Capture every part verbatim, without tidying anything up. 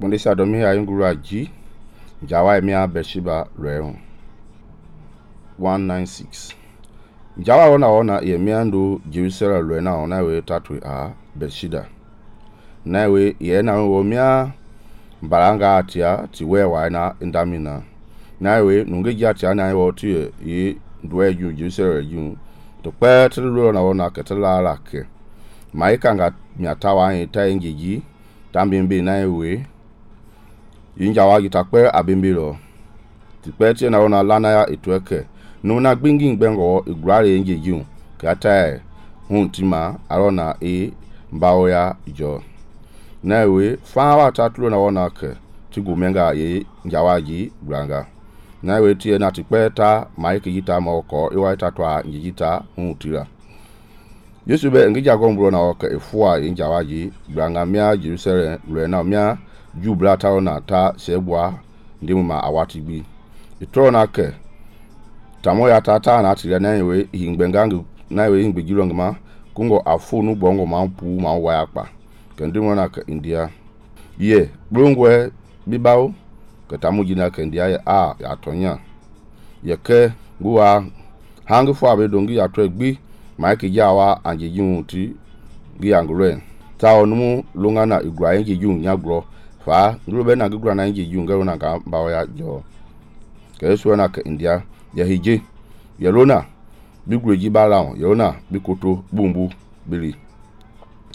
Bundesha domi ya ngura ji Jawa emia Beersheba lweo one ninety-six. Jawa ona ona emia ndo Jerusalem lwe na ona we tatwe a Beersheba. Na we ye na wo mia baranga atia ti we wa na ndamina. Na we nunge jatia na wo ti ye ndwe ju Jerusalem ju. To pe tlu na ona ketala la ke. Maika nga miatawa yi ta ngiji tambimbe na we Injawa gitakpe abimbilo. Tipeti na ona lana ya itweke. Nuna gbingi bengo igrare nje jun. Kata huntima arona e mbao ya jo. Nawe fawa tatlo na ona ke. Tigumenga ye njawaji granga. Nawe tie na tipeta maiki jita moko iwa tatwa njijita huntira. Yesu be ngija gombro na oke efua njawaji granga mia Jerusalem lwe na mia jubla ta na ta sebwa ndimu ma awatibi itro na ke tamo ya tata na tire na we hingbengangu na we hingbejiro ngma kungo afunu bongo mampu ma wa yakpa ke ndimu na ke India ye brungwe bibao ke tamu jina ke India ya a ya tonya ye ke guwa hangu fo abe dongi ya twegbi maiki jawa anjejun ti gi angure ta onumu lungana igwa enjejun nyagro fa ngrobe na gugura na nji junga na ga bawo ya jo ke so na ke India ya hije ya lona bigreji balawo ya lona bikoto bumbu bili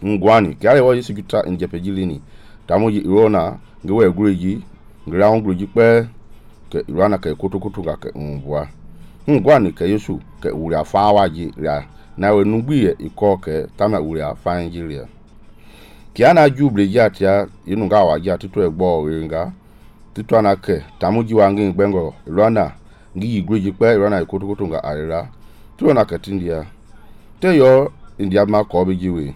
ngwani ke ale wo yisi guta njepejilini tamoji irona ngewe gureji ground gureji pe ke irana ke kotokoto ga ke mbwa ngwani ke Yesu ke uri afawa ji ya na we nugbiye iko ke tama uri afa Nigeria Kiana juble jatia inunga wa jati to egbo winga titwa na ke tamuji wangi gbengo Rwanda ngi igreji pe Rwanda ikotokoto nga arira to na ketindia te yo India ma ko bijiwe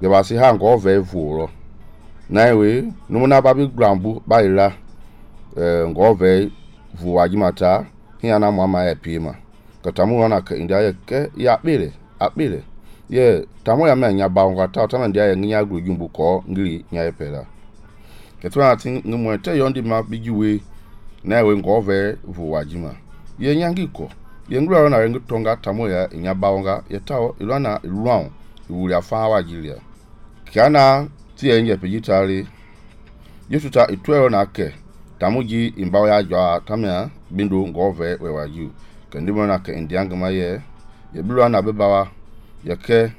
be ba si ha ngo ve vuro na we numuna babi grambu baira eh ngo ve vuwaji mata hiana mama ya pima katamu na ke India ye ke ya bele abele ye tamo ya menya baunga ta ta ndia ya nya grojumbu ko ngiri nya epela ketwa ati ngumo te yondi ma bijiwe na we ngove vuwajima ye nyangi ko ye ngura na rengu tonga tamo ya nya baunga ye tawo ilwana ilwan iwuri afa wajilia kiana ti enye pejitari Yesu ta itwero na ke tamuji imbawo ya jwa tamya bindu ngove we waju kendimo na ke indiangama ye ye bilwa na bebawa yake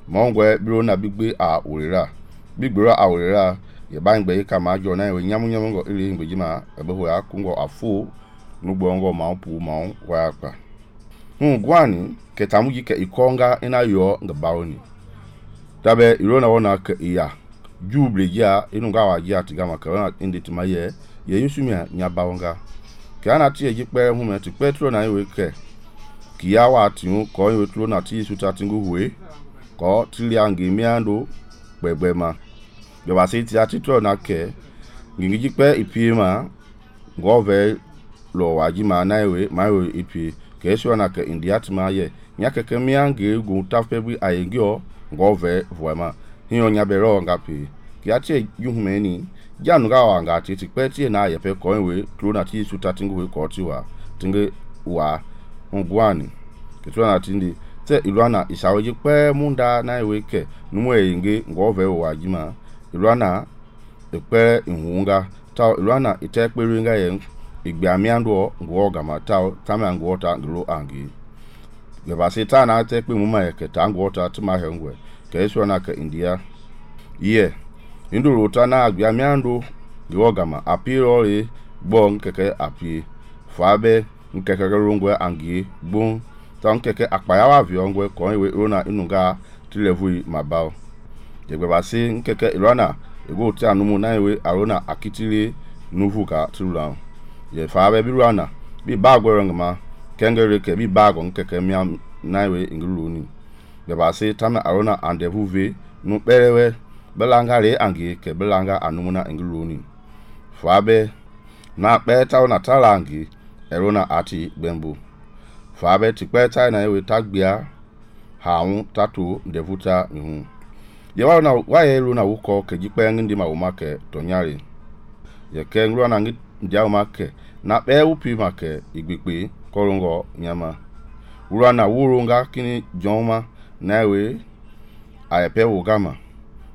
mongwe biro na bigbe a urira bigboro a urira ye bangbe ka ma jo na we nyamu nyamu ngo iri ngbejima ebeho ya kungo afu nugbongo ma pu ma wa akpa hu gwani ke tamuji ke ikonga ina yo ngabawoni tabe irona wona ke iya juble ya inunga wa ya tigama ka indi timaye ye yusumia nyabawonga ke ana tie jikpe hu me ti petro na we ke Kia wa tiu ko yotlo na ti suta tingu huwe ko tiliangi miando bebema be ba se ti atitro na ke ngiji pe ipima ngove lo waji ma na ewe ma we ipi ke so na ke India tima ye nya keke miangi gu tafebi ayegio ngove voema hiyo nya bero ngapi ki ati yuhumeni janu ga wa ngati ti pe ti na ye pe ko we tlo na ti suta tingu we ko ti wa tinge wa ngwani ketwa na tindi te ilwana isawoji pe munda na eweke numu eyinge ngove wajima ilwana epe ihunga ta ilwana itekpere nga ye igbe amiando ngwo gama ta tama ngwo ta ngro angi ye ba se ta na tekpe muma ye keta ngwo ta tuma hengwe ke eso na ke India ye induru ta na agbe amiando ngwo gama apiro e bon keke api fabe nkeke rungwe angi bon tan keke akpaya wa viongwe ko we rona inunga tilevui mabao yegbe ba si nkeke irona ego ti anumu na we arona akitile nuvuka tulula ye fabe birwana bi bagwero ngama kengere ke bi bago nkeke mia na we nguluni ye ba si tama arona andevuve nu berewe belanga re angi ke belanga anumu na nguluni fabe na beta na talangi erona ati bembu fabe tikpe tai na we tagbia haun tatu ndevuta mihu ye wa na wa ye lu na wuko ke jipe ngindi ma umake tonyari ye ke ngru na ngi dia ma ke na be upi ma ke igbekpe korongo nyama ura na wurunga kini joma na we a pe wo gama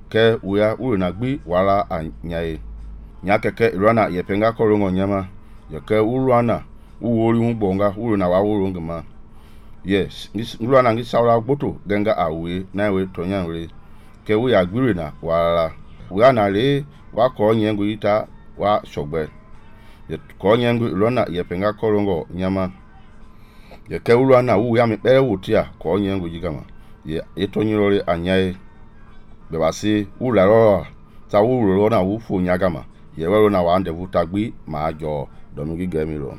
ke uya uru na gbi wala anyae nya keke irana ye penga korongo nyama ye ke urana uwori hungbonga uru na wa wurunga ma yes ngru na ngi sawra gboto genga awe na we tonya we ke we agbire na wala uya na le wa ko nyengu ita wa shogbe ye ko nyengu irana ye penga korongo nyama ye ke urana wu ya mi pere wutia ko nyengu jigama ye etonyirore anyae be wasi ula ro ta wu ro na wu fu nyagama ye wero na wa nde vutagbi ma jo domugi gemiro